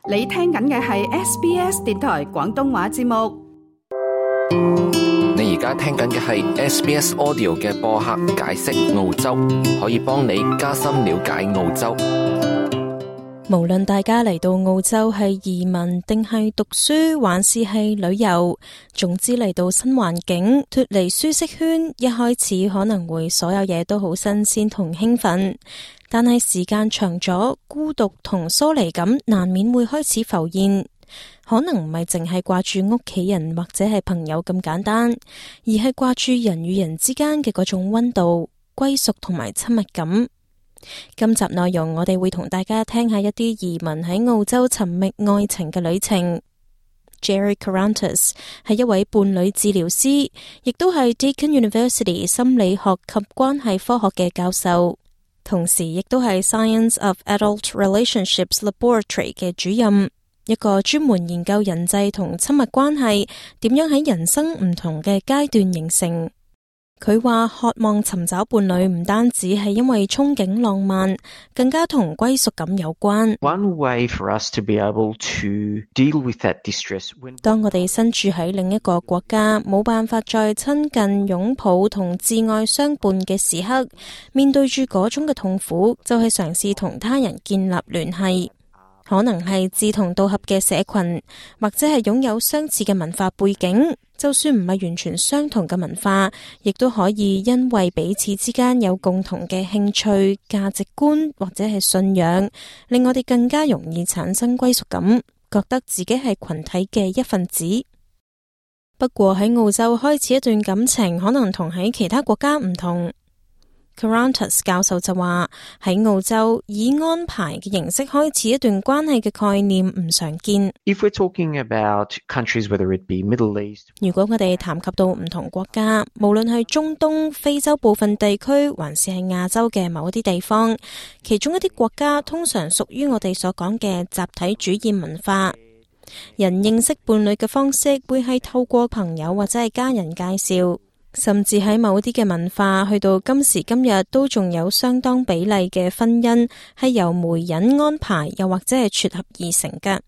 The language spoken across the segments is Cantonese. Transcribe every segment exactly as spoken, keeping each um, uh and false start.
你聽緊嘅係 S B S 電台廣東話節目。你而家聽緊嘅係 S B S Audio 嘅播客解釋澳洲，可以幫你加深了解澳洲。無論大家嚟到澳洲係移民定係讀書，還是係旅遊，總之嚟到新環境，脫離舒適圈，一開始可能會所有嘢都好新鮮同興奮，但係時間長咗，孤獨同疏離感難免會開始浮現。可能唔係淨係掛住屋企人或者係朋友咁簡單，而係掛住人與人之間嘅嗰種溫度、歸屬同埋親密感。今集內容我哋會同大家聽下一啲移民喺澳洲尋覓愛情嘅旅程。Jerry Karantis 係一位伴侶治療師，亦都係 Deakin University 心理學及關係科學嘅教授，同時亦都係 Science of Adult Relationships Laboratory 嘅主任，一個專門研究人際同親密關係點樣喺人生唔同嘅階段形成。佢話渴望尋找伴侶唔單止係因為憧憬浪漫，更加同歸屬感有關。One way for us to be able to deal with that distress when... 當我哋身處喺另一個國家，冇辦法再親近、擁抱同摯愛相伴嘅時刻，面對住嗰種嘅痛苦，就係嘗試同他人建立聯繫。可能係志同道合嘅社群，或者係擁有相似嘅文化背景，就算唔係完全相同嘅文化，亦都可以因為彼此之間有共同嘅興趣、價值觀或者係信仰，令我哋更加容易產生歸屬感，覺得自己係群體嘅一份子。不過喺澳洲開始一段感情，可能同喺其他國家唔同。Karantis 教授就話喺澳洲以安排嘅形式開始一段關係嘅概念唔常見。If we're talking about countries, whether it be Middle East， 如果我哋談及到唔同國家，無論係中東、非洲部分地區，還是係亞洲嘅某一啲地方，其中一啲國家通常屬於我哋所講嘅集體主義文化。人認識伴侶嘅方式會係透過朋友或者係家人介紹。甚至喺某啲嘅文化，去到今時今日都仲有相當比例嘅婚姻係由媒人安排，又或者係撮合而成嘅。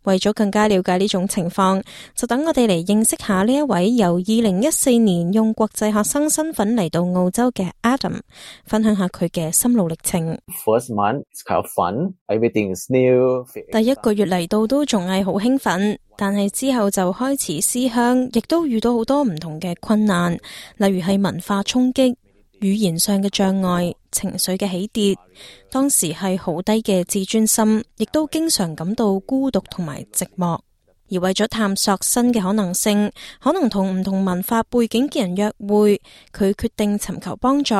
為咗更加了解呢種情況，就等我哋嚟認識下呢一位由二零一四年用國際學生身份嚟到澳洲嘅 Adam， 分享下佢嘅心路歷程。First month, it's kind of fun. Everything is new. 第一個月嚟到都仲係好興奮，但係之後就開始思鄉，亦都遇到好多唔同嘅困難，例如係文化衝擊、語言上嘅障礙、情緒嘅起跌，當時係好低嘅自尊心，亦都經常感到孤獨同埋寂寞。而為咗探索新嘅可能性，可能同唔同文化背景嘅人約會，佢決定尋求幫助，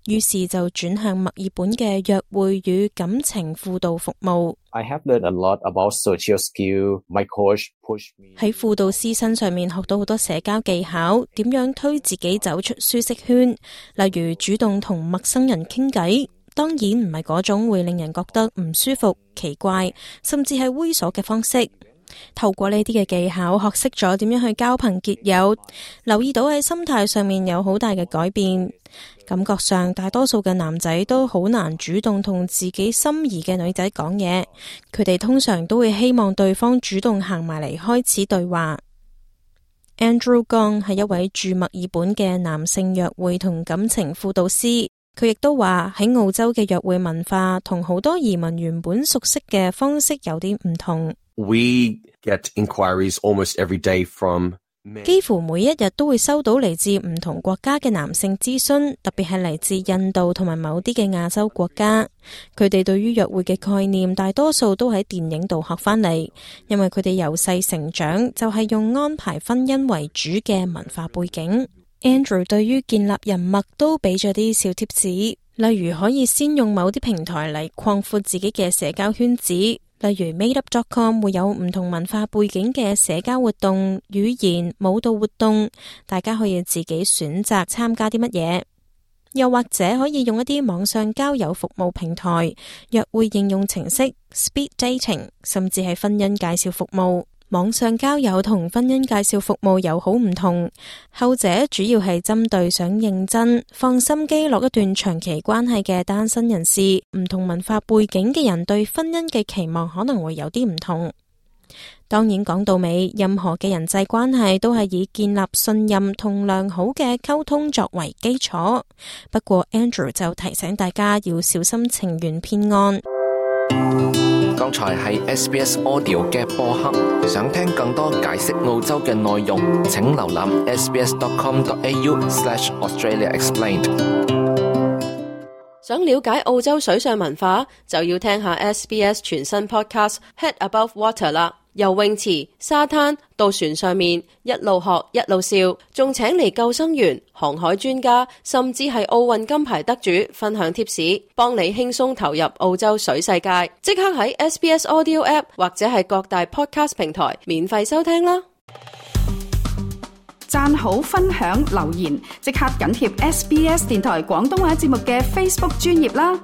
於是就轉向墨爾本嘅約會與感情輔導服務。I have learned a lot about social skill. My coach pushed me. 喺輔導師身上面學到好多社交技巧，點樣推自己走出舒適圈，例如主動同陌生人傾偈，當然唔係嗰種會令人覺得唔舒服、奇怪，甚至係猥瑣嘅方式。透過呢啲嘅技巧，學識咗點樣去交朋結友，留意到喺心態上面有好大嘅改變。感覺上大多數嘅男仔都好難主動同自己心儀嘅女仔講嘢，佢哋通常都會希望對方主動行埋嚟開始對話。Andrew Gong 係一位駐墨爾本嘅男性約會同感情輔導師，佢亦都話喺澳洲嘅約會文化同好多移民原本熟悉嘅方式有啲唔同。We get inquiries almost every day from men. 幾乎每一日都會收到嚟自唔同國家嘅男性諮詢，特別係嚟自印度同埋某啲嘅亞洲國家。佢哋對於約會嘅概念，大多數都喺電影度學翻嚟，因為佢哋由細成長就係用安排婚姻為主嘅文化背景。Andrew 對於建立人脈都俾咗啲小貼士，例如可以先用某啲平台嚟擴闊自己嘅社交圈子。例如 Made Up dot com 會有唔同文化背景嘅社交活動、語言、舞蹈活動，大家可以自己選擇參加啲乜嘢。又或者可以用一啲網上交友服務平台、約會應用程式、Speed Dating， 甚至係婚姻介紹服務。網上交友同婚姻介紹服務有好唔同，後者主要係針對想認真、放心機落一段長期關係嘅單身人士。唔同文化背景嘅人對婚姻嘅期望可能會有啲唔同。當然講到尾，任何嘅人際關係都係以建立信任同良好嘅溝通作為基礎。不過 Andrew 就提醒大家要小心情緣騙案。剛才係 S B S Audio 嘅播客，想聽更多解釋澳洲嘅內容，請瀏覽 s b s dot com dot a u slash australia explained。想了解澳洲水上文化，就要聽下 S B S 全新 podcast Head Above Water 啦。游泳池、沙灘到船上面，一路學一路笑，仲請嚟救生員、航海專家，甚至係奧運金牌得主分享貼士，幫你輕鬆投入澳洲水世界。即刻喺 S B S Audio App 或者係各大 podcast 平台免費收聽啦！讚好、分享、留言，即刻緊貼 S B S 電台廣東話節目嘅 Facebook 專頁啦！